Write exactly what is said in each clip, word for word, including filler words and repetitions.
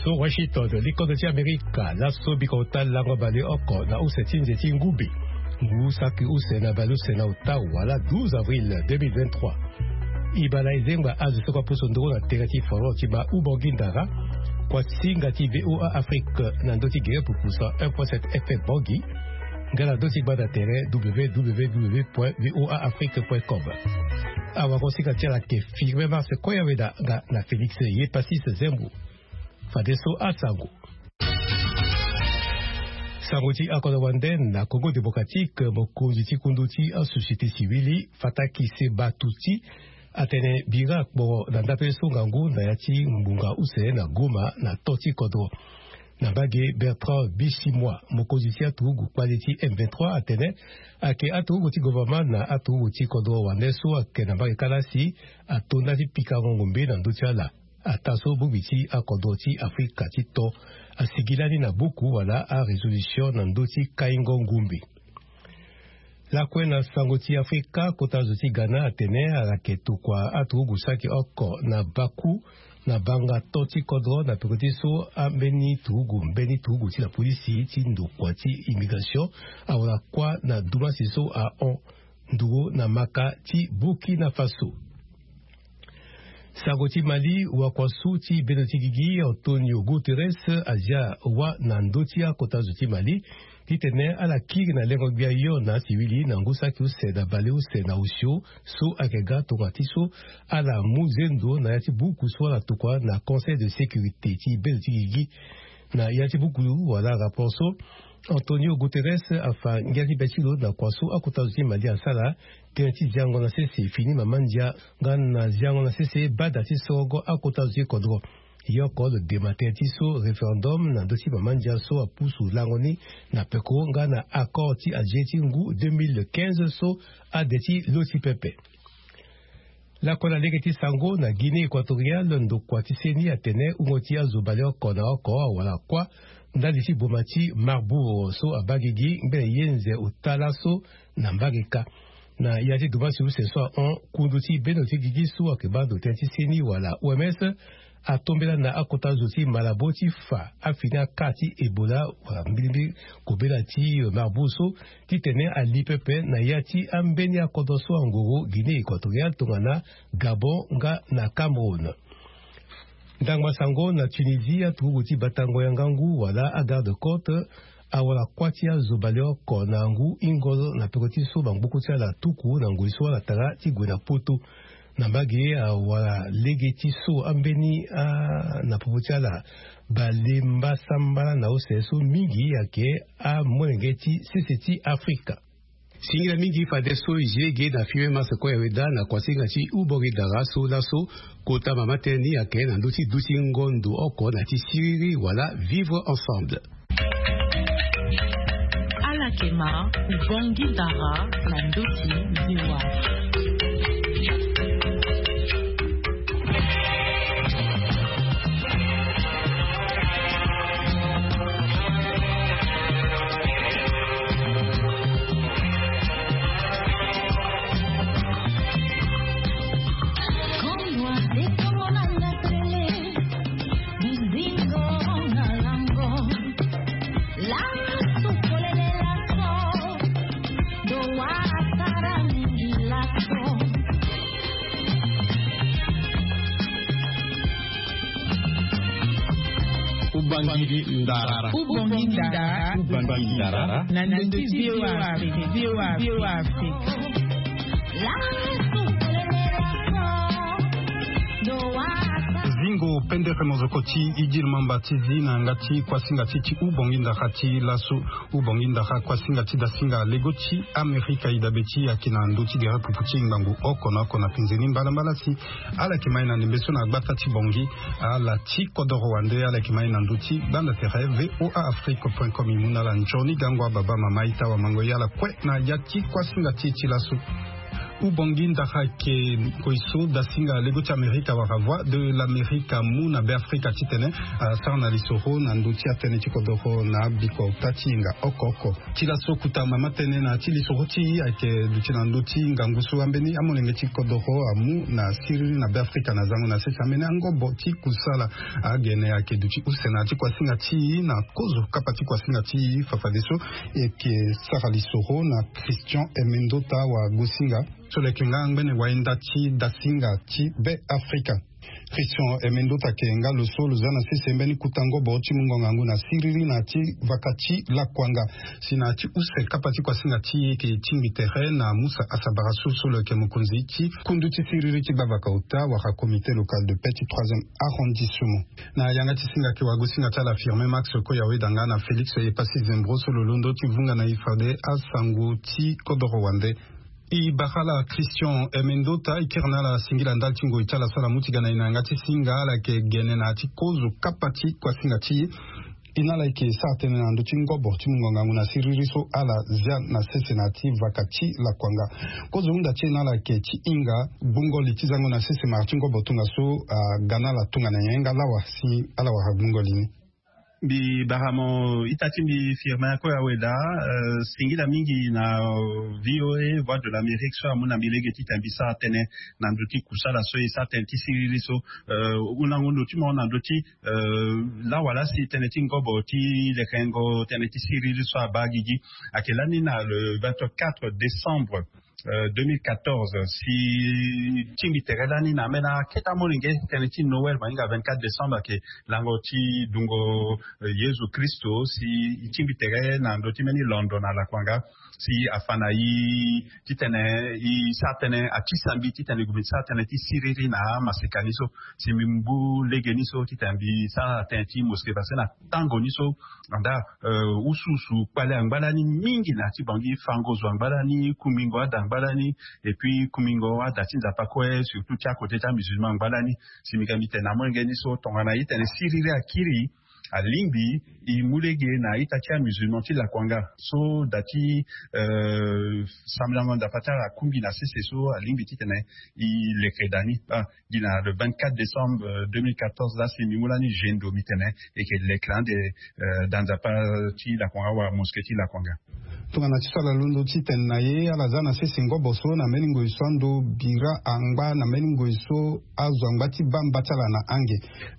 So Washington, likodro ti Amerika laso bika ota lango baleoko na use ti nze ti ngumbe. Ngu saki use na baleuse na ota wala douze avril deux mille vingt-trois. Ibala ezengba azo soko apusu nduru na tere ti foro ti ba ubongi ndara. Kuasinga ti VOA Afrique na ndö ti gere pupusa un point sept F M Bongi. Nga na ndö ti gbanda tere W W W point V O A Afrique point com. Awa ko sika ti ala ke firme marche koya weda nga na Félix Yepasis Zembo. Fadeso asango. Sango ti akodro wande na Congo Démocratique, mokonzi ti kundu ti asociété civile Fataki Seba Tuti atene bira akporo na ndape so ngangu na ya ti ngbonga use na Goma na to ti kodro. Na mbage Bertrand Bisimwa, mokonzi ti aturugu kpale ti M vingt-trois atene ake aturugu ti gouvernement na aturugu ti kodro wande so ake na mbage kalasi ato nda ti pikango ngombe na ndö ti ala. Ataa so bongbi ti akodro ti Afrika ti to asigi lani na buku wala arésolution na ndö ti kaingo ngumbi. Lakue na sango ti Afrika, kota zo ti Ghana atene ala yeke tokua aturugu saki oko na baku na banga to ti kodro na peko ti so ambeni turugu mbeni turugu ti la polisi ti ndokua ti immigration awara kuâ na dumasi so ahon nduru na maka ti Burkina Faso. Sango ti Mali, wakuasu ti bendo ti gigi Antonio Guterres azia wâ na ndö ti akota zo ti Mali titene ala kiri na lengo gbia yo na asiwili na ngu saki use na baleuse na osio so ayeke ga tongana ti so ala mu zendo na ya ti buku so ala tokua na Conseil de sécurité ti bendo ti gigi. Na ya ti buku wala rapport so, Antonio Guterres afa ngia ti be ti lo na kua so akota zo ti Mali asara tënë ti ziango na sese fini mama ndia nga na ziango na sese bada ti sorogo akota zo ti kodro. Yoko lo dema tënë ti so référendum na ndö ti mama ndia so apusu lango ni na peko nga na accord ti Alger ti ngu deux mille quinze so ade ti lo ti pepe. Lakue na lege ti sango na Guinée équatoriale, ndokua ti seni atene hungo ti azo baleoko na oko awara kuâ ndali ti boma ti Marbourg so abaa gigi ngbene ye nze ota laso na mbage kâ. Na ya ti dumasi use so ahon, kundu ti bendo ti gigi so ayeke baa ndo tënë ti seni wala O M S atombela na akota zo ti Malabo ti fa afini aka ti Ebola wala mbilimbili kobela ti Marbourg so titene ali pepe na ya ti ambeni akodro so angoro Guinée équatoriale tongana Gabon nga na Cameroun. Ndangba sango na Tunisie, aturugu ti batango ya ngangu wala agarde côte awara kuâ ti azo baleoko na ngu hingo na peko ti so bangbuku ti ala atuku na ngoi so ala tara ti gue na poto. Na mbage awara lege ti so ambeni a na popo ti ala balemba sambala na use so mingi ayeke amolenge ti sese ti Afrika. Singila mingi fadeso e zi lege na firme marche koya weda na kuasinga ti ubongi dara so laso kota mama tënë ni ayeke na ndö ti duti ngondo oko na ti siriri wala vivre ensemble. Ala yeke ma ubongi dara na ndö ti V O A. Ubangui ndara. Ubangui ndara. Ubangui ndara. Na ndö ti V O A Afrique. V O A Afrique. Zingo pendere mozoko ti Idil Mamba ti zi na yanga ti kuasinga ti ti Ubangui ndara ti laso. Ubangui ndara kuasinga ti dasinga lego ti Amerika e dabe ti e ayeke na ndö ti gere pupu ti ngangu oko na oko na penze ni mbalambala si. Ala yeke ma e na ndembe so na gbata ti Bangui. Ala ti kodoro wande ala yeke ma e na ndö ti gbanda tere V O A Afrique point com. E mu na ala nzoni gango ababa mama ita wamango e ala kue na ya ti kuasinga ti e ti laso. Ubongi ndara ke ngoi so dasinga lego ti Amerika wala Voix de l'Amerique amu na Be Afrika titene asara na lisoro na ndö ti atënë ti kodoro na abikota ti yenga oko oko. Ti laso kota mama tënë na ti lisoro ti e ayeke duti na ndö ti ngangu so ambeni amolenge ti kodoro amu na siriri na Be Afrika na zango na sese ambeni angobo ti kusala agene ayeke duti use na ya ti kuasinga ti e na kozo kapa ti kuasinga ti e fafadeso. E yeke sara lisoro na Christian Emendota Wagosinga, so lo yeke nga ngbene wayenda ti dasinga ti Be Afrika. Christian Emendota ayeke nga lo so lo za na sese mbeni kota ngobo ti mungo ngangu na siriri na ya ti vaka ti lakuanga si na ya ti use kapa ti kuasinga ti e e yeke tingbi tere na Musa Asabara so so lo yeke mokonzi ti kundu ti siriri ti gbavaka ota wala comité local de paix ti troisième arrondissement. Na yanga ti singa ayeke wagosinga ti ala Firmin Max Koya Wedanga na Félix Epassi Zembro so lo londo ti vunga na e fade asango ti kodoro wande. E bara ala Christian Emendota e kiri na ala singila ndali ti ngoi ti ala so ala mu ti ga na e na yanga ti singa. Ala yeke gene na ya ti kozo kapa ti kuasinga ti e. E na ala e yeke sara tënë na ndö ti ngobo ti mungo ngangu na siriri so ala zia na sese na ya ti vaka ti lakuanga. Kozo hunda ti e na ala ayeke ti hinga gbungo li ti zango na sese mara ti ngobo tongaso aga na ala tongana nyen nga lawa si ala wara gbungo li ni. Mbi bara mo ita ti mbi Firmin Koya Weda, euh, singila mingi na, euh, V O A, Voix de l'Amérique, so amu na mbi lege titene mbi sara tënë na ndö ti kusala so e sara tënë ti siriri so, euh, hundango ndo ti mo na ndö ti, euh, lawala si tënë ti ngobo ti lekengo tënë ti siriri so abaa gigi ayeke lani na le vingt-quatre décembre, euh, deux mille quatorze, si tingbi tere lani na ambeni akete amolenge tënë ti Noël ma hinga vingt-quatre décembre ayeke lango ti dungo, euh, Yezu Kristo, si e tingbi tere na ndö ti mbeni londo na lakuanga, si afa na e titene e sara tënë, atisa mbi titene e gue mbi sara tënë ti siriri na amaseka ni so, si mbi mu lege ni so titene mbi sara tënë ti mosquée parce que na tango ni so, anda, euh, usuusu kpale angba lani mingi na ya ti Bangui, fango zo angba lani, kumingo ada angba lani, et puis kumingo ada ti Nzapa kue, surtout ti akote ti amusulman angba lani. Si mbi ga mbi tene na amolenge ni so tongana e tene siriri akiri, alingbi e mu lege na ita ti amusulman ti lakuanga so da ti, euh, sambelango Nzapa ti ala akungbi na sese so alingbi titene e leke da ni. Ah, gi na le vingt-quatre décembre, euh, deux mille quatorze, la si mbi mu lani gendo mbi tene e yeke leke ande, euh, da Nzapa ti lakuanga wala mosquée ti lakuanga. Tongana ti so ala londo ti tene na e, ala za na sese ngobo so na mbeni ngoi so ando bira angba na mbeni ngoi so azo angba ti baa mba ti ala na ange.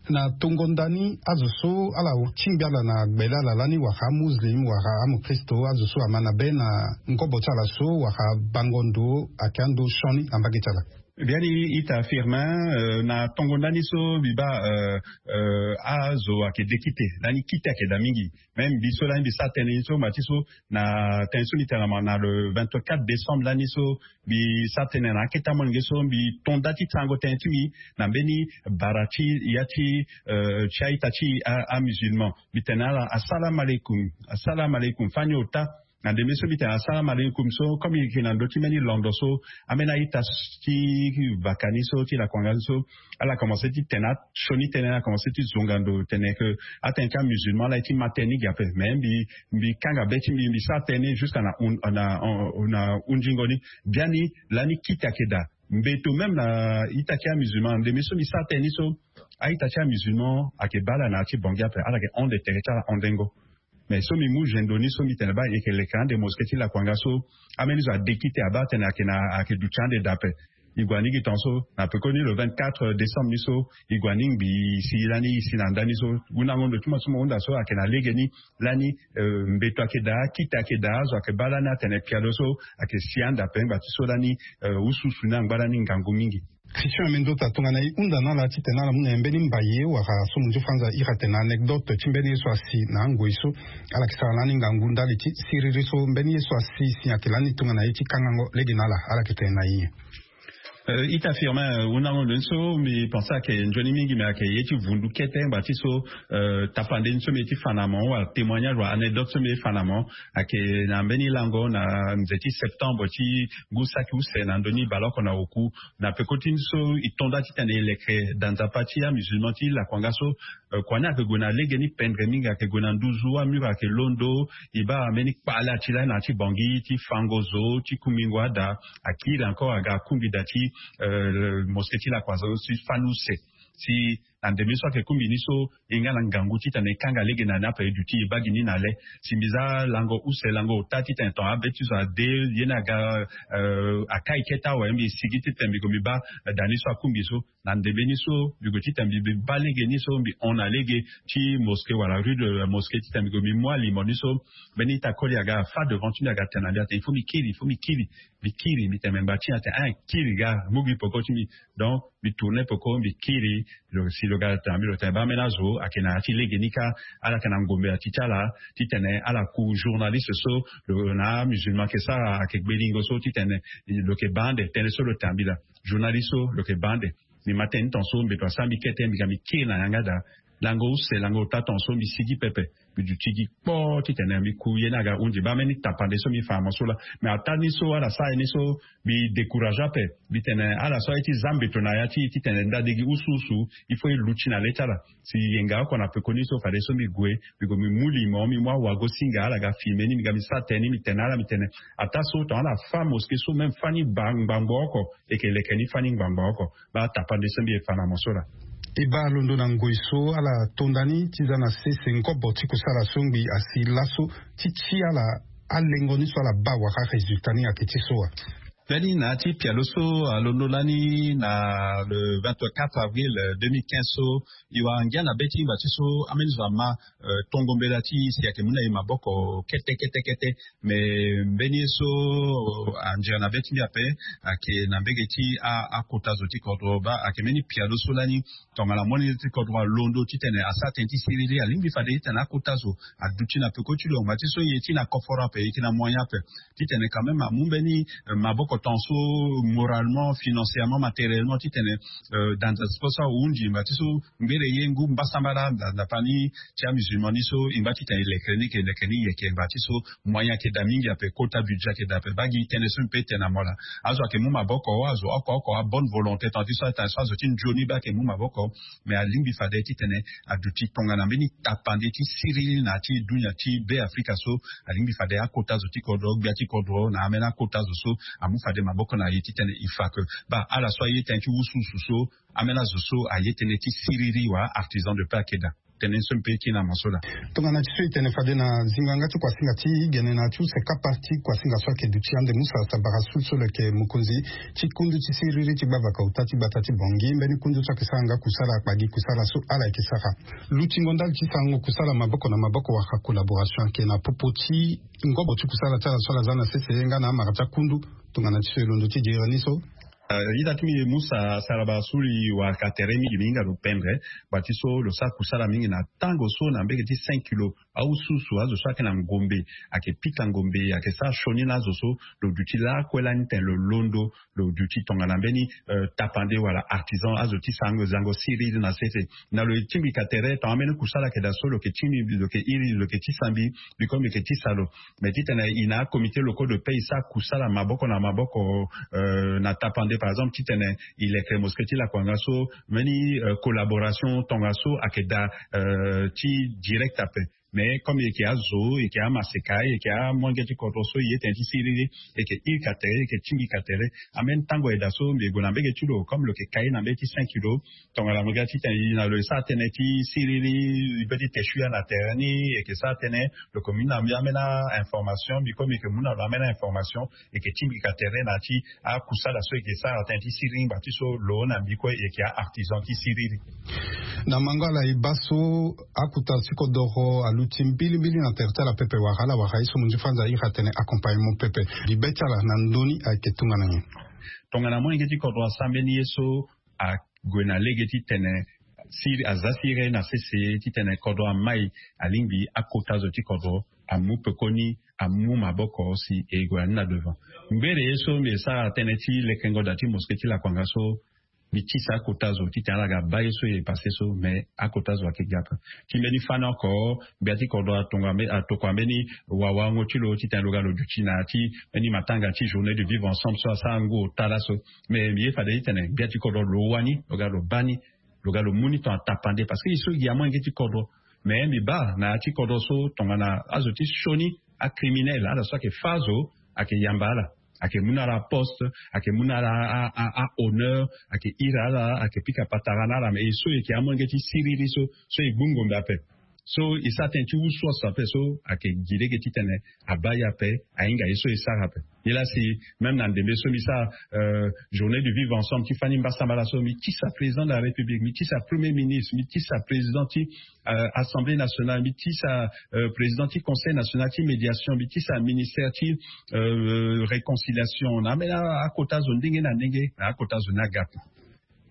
Na tongo ndani azo so ala tingbi ala na gbele ala lani wala amuslim wala amokristo, azo so ama na be na ngobo ti ala so wala bango ndo ayeke ando sioni na mbage ti ala. Biani ita Firmin, euh, na tongo ndani so mbi baa, euh, euh, azo ayeke dekite lani kite ayeke daa mingi. Même mbi so lani mbi sara tënë ni so ma ti so na tënë so mbi tene na ma na le vingt-quatre décembre lani so mbi sara tënë na akete amolenge so mbi to nda ti sarango tënë ti mbi na mbeni bara ti ya ti, euh, ti a-ita ti a, amusulman. Mbi tene na ala, assalam alaikum, assalam alaikum, fani ota. Na ndembe so mbi tene assalam alaikum so, comme e yeke na ndö ti mbeni londo so, ambeni a-ita ti vaka ni so ti lakuanga ni so, ala commencé ti tene asioni tënë, ala commencé ti zonga ndo tene ke atënë ti amusulman ala ye ti ma tënë ni ge ape. Mais mbi, mbi kanga be ti mbi, mbi sara tënë ni jusqu'à na hun-, na, na hundingo ni. Biani lani kite ayeke daa. Mbeto même na ita ti amusulman, ndembe so mbi sara tënë ni so, a-ita ti amusulman ayeke baa ala na ya ti Bangui ape, ala yeke hon ndo tere ti ala hondengo. Mais so mbi mu gendo ni so mbi tene baa e yeke leke ande mosquée ti lakuanga so, ambeni zo adekite abaa atene ayeke na, ayeke duti ande daa ape. E gue aningbi tongaso na pekoni le vingt-quatre décembre ni so, e gue aningbi si lani e si na ndani so, hundango ndo ti mo so mo hunda so ayeke na lege ni lani, euh, mbeto ayeke daa, kite ayeke daa, azo ayeke baa lani atene pialo so ayeke si ande ape ngba ti so lani, euh, usuusu ni angba lani ngangu mingi. Christian Emendota, tongana e hunda na ala titene ala mu na e mbeni mbaye wala so mo nzi franza iri atene anecdote ti mbeni ye so asi na angoi so ala yeke sara lani ngangu ndali ti siriri so, mbeni ye so asi si ayeke lani tongana ye ti kangango lege na ala, ala yeke tene na ye nyen? Euh, ita Firmin, euh, hundango ndo ni so mbi pensé ayeke nzoni mingi, mais ayeke ye ti vundu kete ngba ti so, euh, tapande ni so mbi ye ti fa na mo wala témoignage wala anecdote so mbi ye ti fa na mo ayeke na mbeni lango na nze ti septembre ti ngu saki use na ndö ni baleoko na oku, na peko ti ni so e to nda titene e leke da Nzapa ti amusulman ti lakuanga so, Kua ni ayeke gue na lege ni pendre mingi, ayeke gue na nduzu, amur ayeke londo. E baa mbeni kpale ati lani na ya ti bongi ti fango zo ti kungbingo ada. Akiri encore aga akungbi da ti mosquée ti lakua zo ti fani use. Si na ndembe so ayeke kungbi ni so, e nga na ngangu titene e kanga lege na ni ape, e duti e baa gi ni na le. Si mbi za lango use lango ota titene ton abe ti zo ade, ye ni aga akai kete awe, mbi sigi titene mbi gue mbi baa da ni so akungbi so. Na ndembe ni so mbi gue titene mbi baa lege ni so, mbi hon na lege ti mosquée wala rue de la mosquée titene mbi gue mbi mu alimo ni so. Mbeni ita koli aga afa devant ti mbi aga tene na mbi atene il faut mbi kiri, il faut mbi kiri. Mbi kiri, mbi tene me ngba ti ni atene ah, kiri ga, mu gi peko ti mbi. Donc mbi tourne peko mbi kiri. Si lo ga tene na mbi lo tene baa mbeni azo ayeke na ya ti lege ni kâ. Ala yeke na ngombe na ti ti ala titene ala ku journaliste so, lo na amusulman ayeke sara ayeke gbelingo so titene lo yeke baa ande. Tënë so lo tene na mbi laa, journaliste so lo yeke baa ande. Mbi ma tënë ni tongaso mbeto asara mbi kete, mbi ga mbi kiri na yanga daa. Lango use lango ota tongaso mbi sigi pepe. Mbi duti gi kpoo titene mbi ku ye ni aga hundi baa mbeni tapande so mbi fa na mo so laa. Mais ataa ni so ala sara ye ni so, mbi décourage ape. Mbi tene ala so aye ti za mbeto na ya ti e titene ndade gi usuusu, il faut e luti na le ti ala. Si yenga oko na pekoni so fadeso mbi gue, mbi gue mbi mu limo, mbi mu awago-singa, ala ga filme ni, mbi ga mbi sara tënë ni, mbi tene na ala, mbi tene ataa so tongana ala fa mosquée so même fani ngbangbo oko, e yeke leke ni fani ngbangbo oko. Baa tapande so mbi ye fa na mo so laa. E baa londo na ngoi so ala tonda ni ti za na sese ngobo ti kusala so ngbi asi laso ti ti ala alengo ni so ala baa wala résultat ni ayeke ti so wa? Mbeni na ya ti pialo so alondo lani na le vingt-quatre avril deux mille quinze so, e wara ngia na be ti ngba ti so ambeni zo ama tongo mbela ti e si ayeke mu na e maboko kete kete kete. Mais mbeni ye so anzere na be ti mbi ape ayeke na mbege ti akota zo ti kodro. Baa ayeke mbeni pialo so lani tongana molenge ti kodro alondo titene asara tënë ti siriri, alingbi fade titene akota zo aduti na peko ti lo. Ngba ti so e ye ti na koforo ape, e ye ti na moyen ape titene quand même amu mbeni maboko tongaso moralement, financièrement, matériellement titene dans un sport so ahundi ngba ti so ngbere ye ngu mbasambala ndapani ti amusulman ni so e ngba titene e lekere ni, e yeke lekere ni, e yeke ngba ti so moyen ayeke daa mingi ape, kota budget ayeke daa ape. Baa gi tënë so mbi pe tene na mo laa. Azo ayeke mu maboko, azo oko oko abonne volonté tongana ti so atene so azo ti nzoni baa ayeke mu maboko. Mais alingbi fade titene aduti tongana mbeni tapande ti siriri na ya ti dunia ti Be Afrika so. Alingbi fade akota zo ti kodro, gbia ti kodro na ambeni akota zo so amu fade maboko na e titene e fa ke baa ala so aye tënë ti usuusu so, ambeni azo so aye tënë ti siriri wala artisan de paix ayeke daa. Tënë so mbi pe ti na mo so laa. Tongana ti so e tene fade na zingo yanga ti kuasinga ti gene na ya ti use kapa ti kuasinga so ayeke duti ande Musa Sabara Sul so lo yeke mokonzi ti kundu ti siriri ti gbavaka ota ti gbata ti Bangui, mbeni kundu so ayeke sara nga kusala kpagi kusala so ala yeke sara. Lutingo ndali ti sarango kusala maboko na maboko wala collaboration ayeke na popo ti ngobo ti kusala ti ala so ala za na sese nga na amara ti akundu. Tongana ti so e londo ti dire ni so. Ita ti mbi Musa Saraba Suli wara ka tere mingi, mbi hinga lo pendre. Ngba ti so lo sara kusala mingi na tango so na mbege ti cinq kilo. Aususu azo so ayeke na ngombe, ayeke pika ngombe, ayeke sara sioni na azo so, lo duti lakue lani tene lo londo, lo duti tongana mbeni tapande wala artisan, azo ti sarango zango siriri na sese. Na lo e tingbi ka tere tongana mbeni kusala ayeke daa so lo yeke tingbi, lo yeke iri, lo yeke tisa mbi, mbi kue mbi yeke tisa lo. Mais titene e na acomité locaux de paix e sara kusala maboko na maboko na tapande par exemple titene e leke mosquée ti lakua nga so, mbeni collaboration tongaso ayeke daa ti direct ape. Mais comme e yeke azo, e yeke amaseka, e yeke amolenge ti kodro so e ye tene ti siriri, e yeke iri ka tere, e yeke tingbi ka tere. Ambeni tango ayeke daa so mbi gue na mbege ti lo comme lo yeke kai na mbege ti cinq kilo. Tongana mo ga titene e na lo e sara tënë ti siriri, e be ti te sui ya na tere ni, e yeke sara tënë, lo yeke mu na mbi ambeni a-information, mbi kue mbi yeke mu na lo ambeni a-information, e yeke tingbi ka tere na ya ti akusala so e yeke sara tënë ti siriri ngba ti so lo na mbi kue e yeke a-artisan ti siriri. Na mango ala e baa so akota ti kodoro aluti mbilimbili na tere ti ala pepe wala ala wara ye so mo nzi fâ nza iri atene accompagnement pepe. Mbi be ti ala na ndö ni ayeke tongana nyen? Tongana molenge ti kodro asara mbeni ye so, ague na lege titene siri aza siriri na sese titene kodro amai, alingbi akota zo ti kodro amu pekoni, amu maboko si e gue na ni na devant. Ngbere ye so mbi e sara tënë ti lekengo da ti mosquée ti lakua nga so, mbi tisa akota zo titene ala ga baa ye so e passé so, mais akota zo ayeke ga ape. Ti mbeni fani oko, gbia ti kodro atokua mbeni wawaango ti lo titene lo ga lo duti na ya ti mbeni matanga ti journée de vivre ensemble so asara ngu ota laso. Mais mbi ye fade titene gbia ti kodro lo wani lo ga lo baa ni. Lo ga lo mu ni ton atapande parce que e so gi amolenge ti kodro. Mais mbi baa na ya ti kodro so tongana azo ti sioni acriminel ala so ayeke fâ azo, ayeke yamba ala, ayeke mu na ala aposte, ayeke mu na ala ahonneur, ayeke iri ala, ayeke pika patara na ala mais e so e yeke amolenge ti siriri so so e gbu ngombe ape. So e sara tënë ti usu aso ape so ayeke gi lege titene abaa ye ape, ahinga ye so e sara ape. Nilaa si même na ndembe so mbi sara journée du vivre ensemble ti fani mbasambala so mbi tisa président de la république, mbi tisa premier ministre, mbi tisa président ti assemblée nationale, mbi tisa président ti conseil national ti médiation, mbi tisa ministère ti réconciliation na ambeni akota zo ndenge na ndenge na akota zo ni aga ape.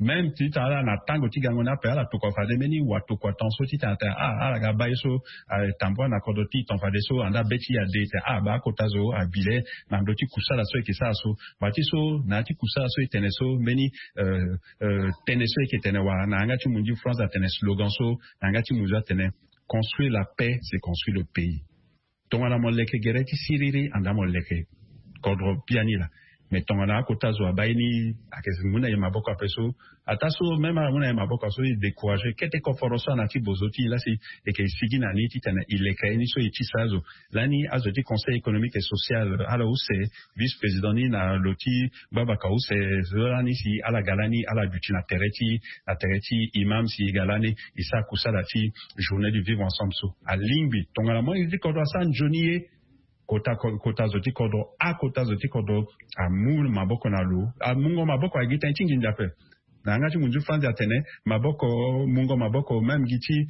Même titene ala na tango ti gango ni ape ala tokua fade mbeni watokua ton so titene atene ah ala ga baa ye so atambua na kodro ti ton fade so anda be ti ye ade tene ah baa akota zo abi le na ndö ti kusala so e yeke sara so. Baa ti so na ya ti kusala so e tene so mbeni tënë so e yeke tene wala na yanga ti munzu France atene slogan so na yanga ti munzu atene construire la paix c'est construire le pays. Tongana mo leke gere ti siriri anda mo leke kodro biani laa. Mais tongana akota zo abaa ye ni ayeke mu na e maboko ape so, ataa so même ala mu na e maboko so e décourage kete koforo so ana ti bozo ti e laa si e yeke sigi na ni titene e leke aye ni so e tisa azo. Lani azo ti conseil économique et social ala use vice président ni na lo ti gbabaka use so lani si ala ga lani ala duti na tere ti na tere ti imam si e ga lani e sara kusala ti journée du vivre ensemble so. Alingbi tongana molenge ti kodro asara nzoni ye kota kota zo ti kodro akota zo ti kodro amu maboko na lo. Amungo maboko agi tënë ti nginza ape. Na yanga ti munzu France atene maboko mungo maboko même gi ti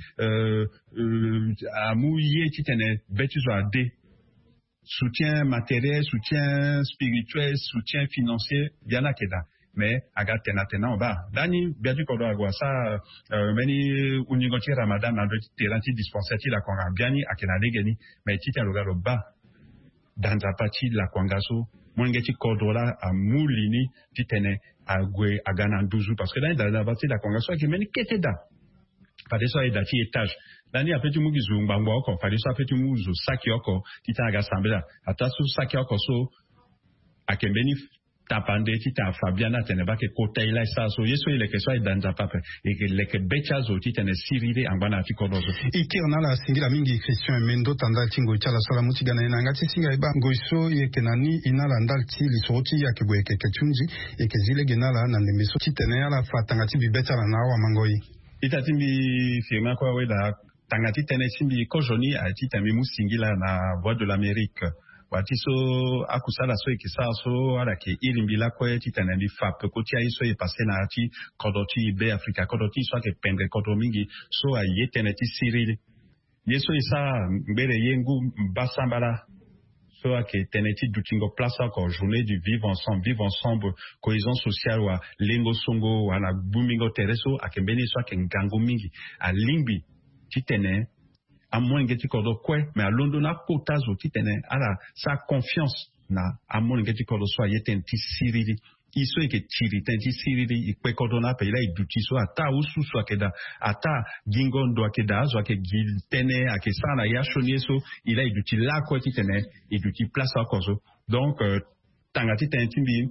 amu ye titene be ti zo ade. Soutien matériel, soutien spirituel, soutien financier, biani ayeke daa. Mais aga tene atene na mo baa lani gbia ti kodro ague asara mbeni hunzingo ti ramadan na ndö ti terrain ti dispensaire ti lakuanga biani ayeke na lege ni. Mais titene lo ga lo baa da nzapa ti lakuanga so molenge ti kodro laa amu li ni titene ague aga na nduzu parce que lani da nzapa ti lakuanga so ayeke mbeni kete daa. Fadeso aye da ti étage lani ape ti mu gi zo ngbangbo oko fadeso ape ti mu zo saki oko titene aga sambela. Ataa so saki oko so ayeke mbeni tapande titene afa biani atene baa ayeke kota e laa e sara so ye so e leke so aye da nzapa ape. E yeke leke be ti azo titene siriri angba na ya ti kodro so. E kiri na ala singila mingi Christian Emendo ta ndali ti ngoi ti ala so ala mu ti ga na e na yanga ti singa e baa ngoi so e yeke na ni e na ala ndali ti lisoro ti e ayeke gue yeke yeke ti hunzi. E yeke zi lege na ala na ndembe so titene ala fa tanga ti mbi be ti ala na awamangoi. Ita ti mbi firme akue awe daa. Tanga ti tënë ti mbi kozoni aye titene mbi mu singila na Voix de l'Amérique. Wa ti so akusala so e yeke sara so ala yeke iri mbi lakue titene mbi fa peko ti aye so e passe na ya ti kodro ti e Be Afrika kodro ti e so ayeke pendre kodro mingi so aye tënë ti siriri. Ye so e sara ngbere ye ngu mbasambala so ayeke tënë ti dutingo place oko journée du vivre ensemble, vivre ensemble, cohésion sociale wa lengo songo wa na gbumbingo tere so ayeke mbeni ye so ayeke ngangu mingi. Alingbi titene amolenge ti kodro kue me alondo na akota zo titene ala sara confiance na amolenge ti kodro so aye tënë ti siriri. E so e yeke tiri tënë ti siriri e kpe kodro na ape e laa e duti so ataa ususu ayeke daa, ataa gingo ndo ayeke daa, azo ayeke gi tënë ayeke sara na ya sioni ye so e laa e duti lakue titene e duti place oko so. Donc tanga ti tënë ti mbi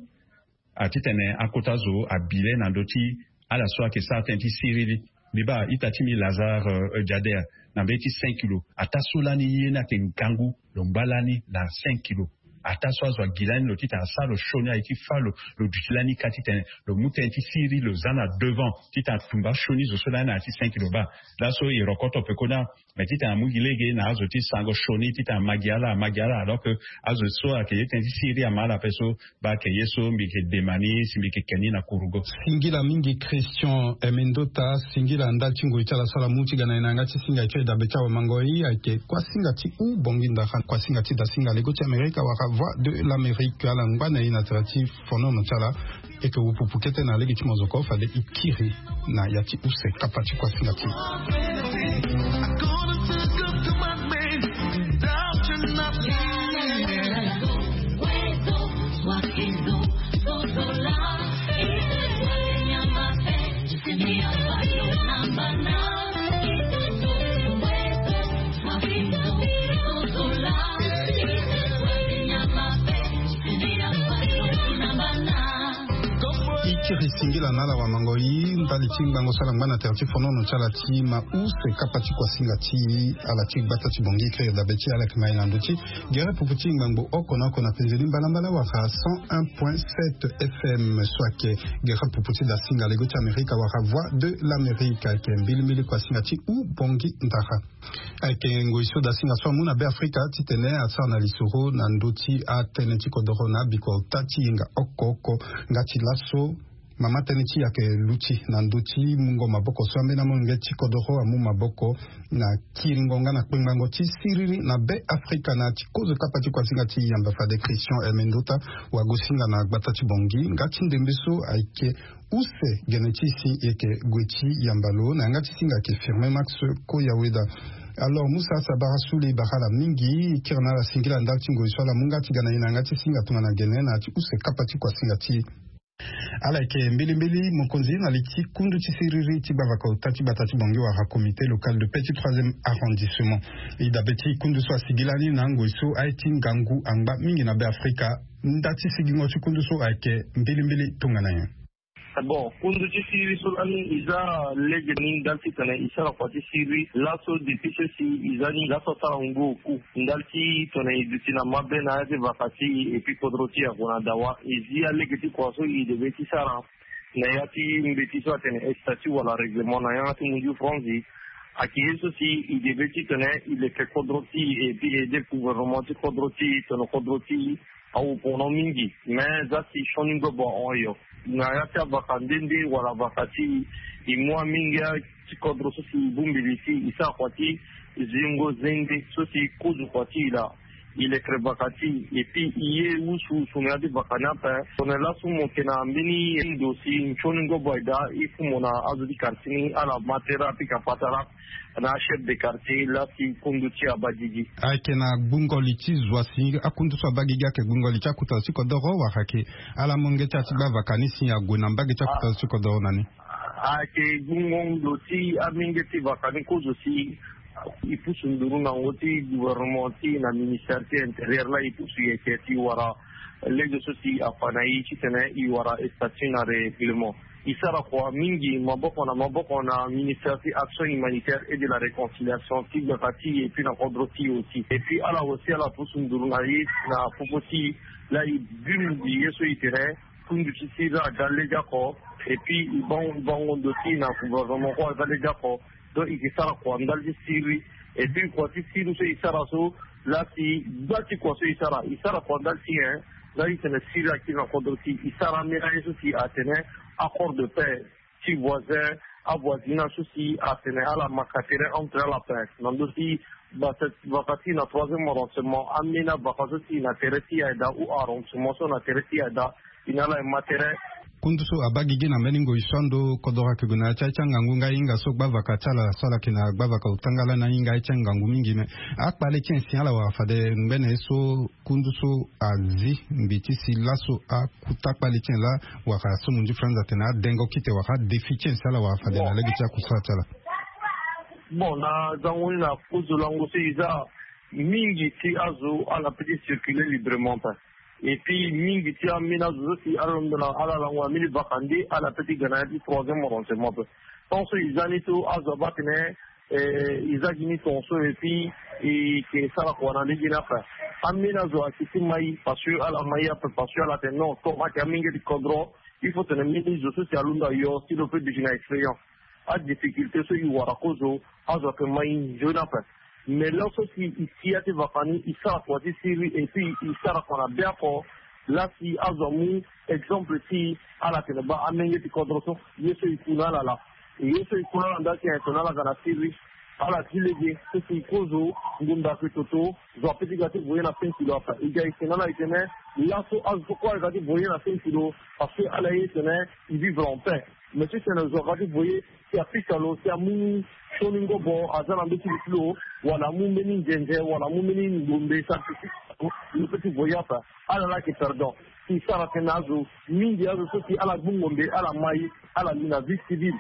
atitene akota zo abi le na ndö ti ala so ayeke sara tënë ti siriri. Mbi baa ita ti mbi Lazare Jader na mbeni ti cinq kilo ataa so lani ye ni ayeke ngangu. Lo ngba lani na cinq kilo ataa so azo agi lani lo titene asara lo sioni aye ti fâ lo. Lo duti lani ka titene lo mu tënë ti siriri lo za na devant titene atumba sioni zo so lani na ya ti cinq kilo baa laso e rokoto peko ni. Mais titene amu gi lege na azo ti sango sioni titene ama gi ala ama gi ala alors que azo so ayeke ye tënë ti siriri ama ala ape so. Baa ayeke ye so mbi yeke dema ni si mbi yeke ke ni na kurugo. Singila mingi Christian Emendota. Singila ndali ti ngoi ti ala so ala mu ti ga na e na yanga ti singa e ti e dabe ti awamangoi ayeke kuasinga ti u bongi ndara kuasinga ti dasinga lego ti Amerika wala Voix de l'Amérique ala ngba na e na tere ti fonono ti ala. E yeke wupupu kete na lege ti mozoko fade e kiri na ya ti use kapa ti kuasinga ti e. Ti singila na ala wamango i ndali ti ngbango so ala ngba na tere ti fonono ti ala ti ma use kapa ti kuasinga ti ala ti gbata ti bongi kiri dabe ti ala yeke ma i na ndö ti gere pupu ti ngbangbo oko na oko na penze ni mbalambala wala cent un point sept F M so ayeke gere pupu ti dasinga lego ti amerika wala voix de l'amerique ayeke mbilimbili kuasinga ti u bongi ndara. Ayeke ngoi so dasinga so amu na be afrika titene asara na lisoro na ndö ti atënë ti kodoro na abiko ota ti yenga oko oko nga ti laso mama tënë ti yake luti na ndö ti mungo maboko so ambeni amolenge ti kodoro amu maboko na kiringo nga na kpengbango ti siriri na be afrika na ti kozo kapa ti kuasinga ti yamba fade christian hermendota wagosinga na gbata ti bongi nga ti ndembe so ayeke use gene ti si yeke gue ti yamba lo na yanga ti singa yeke firme max koyaweda. Alors musa sabara sule bara ala mingi kiri na ala singila ndali ti ngoi so ala mu nga ti ga na ye na yanga ti singa tongana gene na ya ti use kapa ti kuasinga ti ala yeke mbilimbili mokonzi na li ti kundu ti siriri ti gbavaka ota ti gbata ti bongi wala comité local de paix ti troisième arrondissement. E dabe ti kundu so asigi lani na ngoi so aye ti ngangu angba mingi na be afrika nda ti sigingo ti kundu so ayeke mbilimbili tongana nyen? Bon, kundu ti siriri so lani e za lege ni ndali titene e sara kua ti siriri laso depuis so si e za ni laso asara ngu oku ndali ti tongana e duti na mabe na ya ti vaka ti e epui kodro ti e ague na dawa e zi alege ti kua so e debe ti sara na ya ti mbeti so atene estati wala règlement na yanga ti munju franzi. Ayeke ye so si e debe titene e leke kodro ti e epui e aide gouvernement ti kodro ti e tongana kodro ti e awu pono mingi. Me za si sioni ngobo ahon yo na ya ti avaka nde nde wala vaka ti e mu amingia ti kodro so si e bongbi li si e sara kua ti zingo zende so si e kozo kua ti e laa. E lekere vaka ti e epui e ye wusuwusu na ya ti vaka ni ape. Tongana laso mo yeke na mbeni ndo si nsioni ngobo aye daa e fu mo na azo ti quartier ni ala ma tere apika patara na achef de quartier laa si kundu ti abadidi. Ayeke na gbungo li ti zo asi akundu so abagigi ayeke gbungo li ti akuta zo ti kodoro wala ayeke ala molenge ti ala ti gba vaka ni si ague na mbage ti akuta zo ti kodoro na ni? Ayeke gbungo ndo ti amenge ti vaka ni kozo si e pusu nduru na ngo ti gouvernement ti na ministère ti intérieur laa e pusu yeke ti wara lege so si afa na e titene e wara estati na règlement. E sara kua mingi maboko na maboko na ministère ti action humanitaire et de la réconciliation ti gbaka ti e epui na kodro ti e aussi epui ala aussi ala pusu nduru na e na popo ti e laa e bi mbi ye so e tene kundu ti siriri aga lege oko epui e bango e bango ndo ti e na gouvernement kue aga lege oko. Donc e ke sara kua ndali ti siriri epui kua ti siriri so e sara so laa si gba ti kua so e sara e sara kua ndali ti e. Laa e tene siriri akiri na kodro ti e e sara ambeni aye so si atene accord de paix ti voisin avoisinage so si atene ala maka tere entre ala ape na ndö ti vaka ti na troisième arrondissement ambeni avaka so si na tere ti aye daa ou arrondissement so na tere ti aye daa. Ina ala e ma tere. Kundu so abaa gigi na mbeni ngoi so ando kodoro ayeke gue na ya ti aye ti angangu nga hinga so gbavaka ti ala so ala yeke na gbavaka otanga lani ahinga aye ti angangu mingi me akpale ti en si ala wara fade ngbene ye so kundu so azi mbi ti si laso akuta akpale ti en laa wara so munzu franz atene adengo kite wara adefi ti en si ala wara fade na lege ti akusala ti ala. Bon na zango ni na kozo lango so e za mingi ti azo ala pe ti circuler librement ape. Epui mingi ti ambeni azo so si ala londo na ala lango na mbeni vaka nde ala pe ti ga na ya ti troisième arrondissement ape. Tant so e za ni so azo abaa tene e za gi ni tongaso epui e ke sara kua na lege ni ape. Ambeni azo ayeke ti mai parce que ala mai ape parce que ala tene non comme ayeke amenge ti kodro il faut tene mbeni zo so si alondo ayo si lo pe duti na expérience. Adifficulté so e wara kozo azo ayeke mai nzoni ape. Mais laso si e ti ya ti vaka ni e sara kua ti siriri epui e sara kua na be oko. Laa si azo amu exemple ti ala tene baa amenge ti kodro so ye so e ku na ala laa. Ye so e ku na ala ndali ti en tongana ala ga na siriri ala ti lege so si e kozo ngunda ayeke toto. Zo ape ti ga ti voye na cinq kilo ape e ga e tene na ala e tene laso azo so kue ala ga ti voye na cinq kilo. Parce que ala ye tene e vivre en paix. Mais ti tene zo aga ti voye si apika lo si amu sioni ngobo aza na mbeti li ti lo wala amu mbeni nzenze wala amu mbeni ngombe sara ti lo pe ti voye ape. Ala laa ayeke perdant si e sara tënë na azo mingi azo so si ala gbu ngombe ala mai ala li na vie civile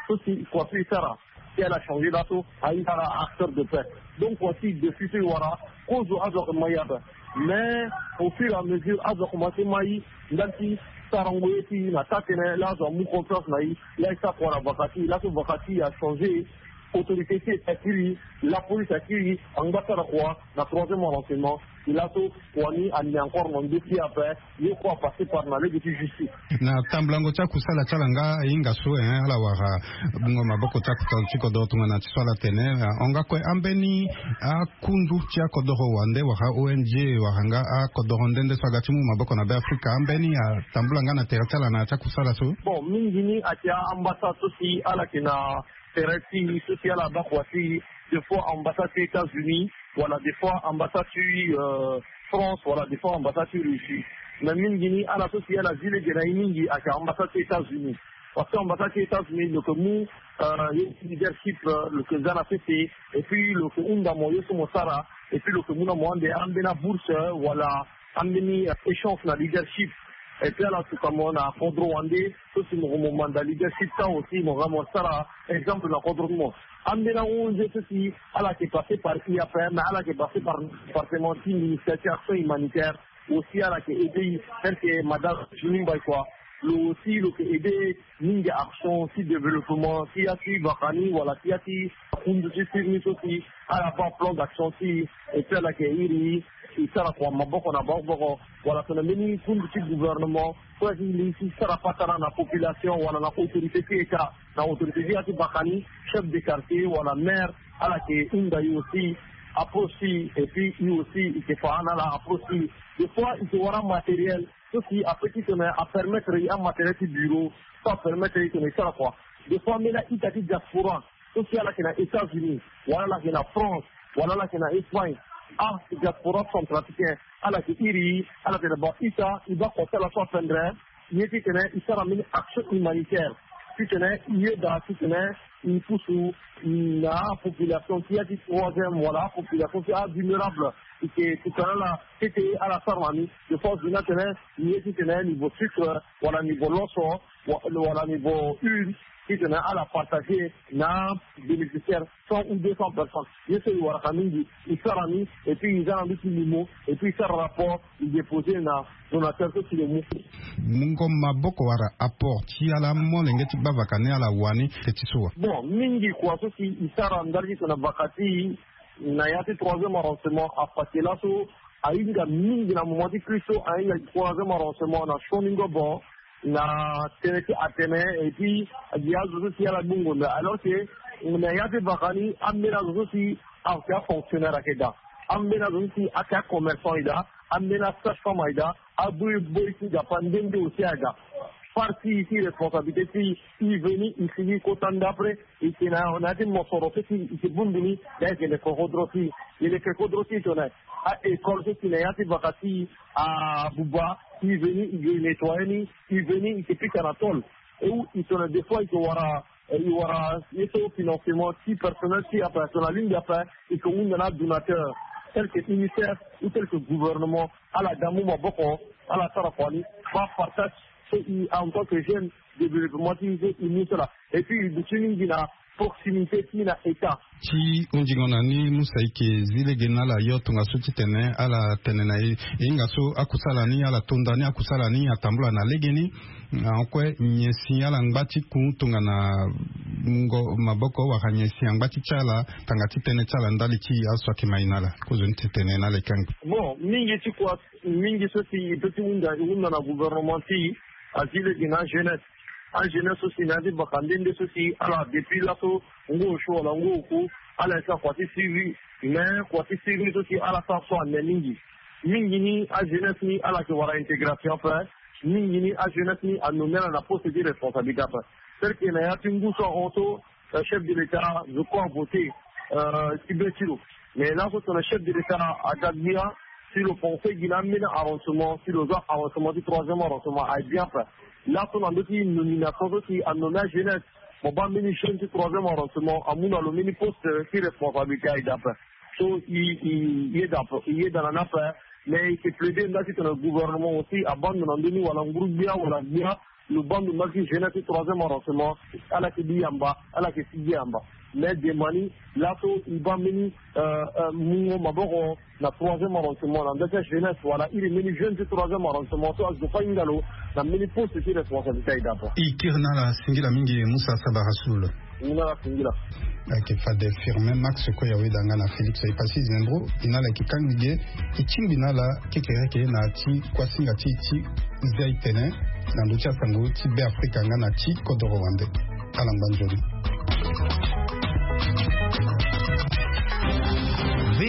so si kua so e sara si ala changer laso ahinga ala acteur de paix. Donc kua si depuis so e wara kozo azo ayeke mai ape. Mais au fur et à mesure azo akomanse mai ndali ti Sarango ye ti na taa tënë laa azo amu confiance na e. Laa e sara kua na vaka ti e, laa so vaka ti e achangé. Autorité ti e ti akiri, lapolice akiri angba sara kua na troisième arrangement. E laa so kua ni ane encore na ndö ti e ape. Ye kue apassé par na lege ti justice. Na tambulango ti akusala ti ala nga e hinga so, eh, ala wara bungo maboko ti akuta ti kodoro tongana ti so ala tene, eh, hon nga kue ambeni akundu ti akodoro wande wala O N G wala nga akodoro nde nde so aga ti mu maboko na Be Afrika, ambeni atambula nga na tere ti ala na ya ti akusala so? Bon, mingi ni ayeke a-ambassade so si ala yeke na tere ti e so si ala baa kua ti e, des fois ambassade ti États-Unis, wala des fois ambassade ti, euh, France, wala des fois ambassade ti Russie. Mais mingi ni ala so si ala zi lege na e mingi ayeke ambassade ti États-Unis. Parce que ambassade ti États-Unis lo yeke mu, euh, ye ti leadership, euh, lo yeke za na sese. Et puis lo yeke hunda mo ye so mo sara. Et puis lo yeke mu na mo ande ambeni abourse, euh, wala ambeni, euh, échange na leadership. Et puis ala suka mo na kodro wande so si mo, mo manda leadership ti awe aussi mo ga mo sara exemple na kodro ti mo. Ambeni ahunzi so si ala yeke passé par e ape, mais ala yeke passé par département ti ministère ti action humanitaire. Aussi ala yeke aidé e, tel que madame Juni Mbaye kua. Lo aussi lo yeke aidé mingi action ti développement ti ya ti vaka ni wala ti ya ti kundu ti sirni so si ala baa plan d'action ti e. Et puis ala yeke iri e sara kua maboko na maboko wala tongana mbeni kundu ti gouvernement so aye ti li ti sara patara na population wala na autorité ti état, na autorité ti ya ti vaka ni, chef de quartier wala maire, ala yeke hunda e aussi, approche ti e. Et puis e aussi e yeke fa na ala approche ti e. Des fois e yeke wara matériel so si ape titene apermettre e, amatériel ti bureau so apermettre e titene e sara kua. Des fois ambeni a-ita ti diaspora so si ala yeke na États-Unis, wala ala yeke na France, wala ala yeke na Espagne, adiaspora centrafricain, ala yeke iri e, ala tene bon, ita e baa kua ti ala so apendre ye titene e sara mbeni action humanitaire titene e yeda titene e pusu na apopulation ti ya ti troisième wala apopulation ti avulnérable. E yeke titene ala tete ala sara na ni. Des fois zo ni atene ni ye titene niveau sucre wala niveau loso wa-, wala niveau huile titene ala partager na bénéficiaire cent ou deux cents personnes. Ye so e waraka mingi e sara ni. Et puis e za na ndö ti limo et puis e sara rapport e déposer na donateur so si lo mu. Mungo maboko wala apport ti ala molenge ti baa vaka ni ala wani te ti so wa? Bon, mingi kua so si e sara ndali ti tene vaka ti e na ya ti troisième arrondissement afa ti laso ahinga mingi na moment ti crise so ahinga troisième arrondissement na sioni ngobo na tënë ti atene. Et puis gi azo so si ala baa ngonda alors que na ya ti vaka ni ambeni azo so si ayeke afonctionnaire ayeke daa, ambeni azo so si ayeke acommerçant ayeke daa, ambeni asage-femme ayeke daa, aboyi boyi ti Nzapa nde nde aussi ayeke daa. Part ti e ti responsabilité ti e, e veni e sigi kota ndapre e yeke na ya ti mosoro so si e yeke bundu ni. Daa e yeke leke kodro ti e, e leke kodro ti e tongana a-école so si na ya ti vaka ti e abuba, e veni e yeke nettoyer ni, e veni e yeke pika na tôle. E wu e tongana des fois e yeke wara, e wara ye so financement ti personnel ti e ape, tongana alingbi ape e yeke hunda na adonateur tel que UNICEF ou tel que gouvernement. Ala ga mu maboko ala sara kua ni. Baa partage so e en tant que jeune développement ti e so e mu so laa. Et puis e duti mingi na proximité ti e na état. Ti hunzingo na ni Musa, e yeke zi lege na ala yo tongaso titene ala tene na e e hinga so akusala ni ala to nda ni akusala ni atambula na legeni. Ahon kue nyen si ala ngba ti ku tongana mungo maboko wala nyen si angba ti ti ala tanga ti tënë ti ala ndali ti azo so ayeke mai na ala? Kozoni ti tene na ala e kanga. Bon, mingi ti kua mingi so si e peut ti hunda e hunda na gouvernement ti e, azi lege na ajeunesse. Ajeunesse so si na ya ti baka nde nde so si ala depuis laso ngu osio wala ngu oku ala yeke sara kua ti siriri. Mais kua ti siriri so si ala sara so ane mingi. Mingi ni ajeunesse ni ala yeke wara intégration ape. Mingi ni ajeunesse ni anommé ala na poste ti responsabilité ape. Tel que na ya ti ngu so ahon so chef de l'état zo kue avoté ti be ti lo. Mais laso tongana chef de l'état aga gbia si lo pensé gi na ambeni arrondissement si lo za arrondissement ti troisième arrondissement aye bien ape. Laso na ndö ti nomination so si anommé ajeunesse, mo baa mbeni jeune ti troisième arrondissement amu na lo mbeni poste ti responsabilité aye daa ape. So e e e yeda ape, e yeda na ni ape. Mais e yeke plaider nda ti tongana gouvernement aussi abaa ndo na ndö ni wala nguru gbia wala gbia lo baa ndo na ti jeunesse ti troisième arrondissement. Ala yeke bi yamba, ala yeke si gi yamba. Mais demani laso e baa mbeni mungo maboko na troisième arrondissement na ndö ti ajeunesse wala iri mbeni jeune ti troisième arrondissement so azo fâ hinga lo na mbeni poste ti responsabilité aye dapa. E kiri na ala singila mingi Musa Sabara Soul. Ni na ala singila. Ayeke fade Firmin Max Koya, weda nga na Félix Epassi Zembro. E na ala yeke kangbi ge, e tingbi na ala kekereke na ya ti kuasinga ti e ti zia e tene na ndö ti asango ti Be Afrika nga na ti kodoro wande. Ala ngba nzoni.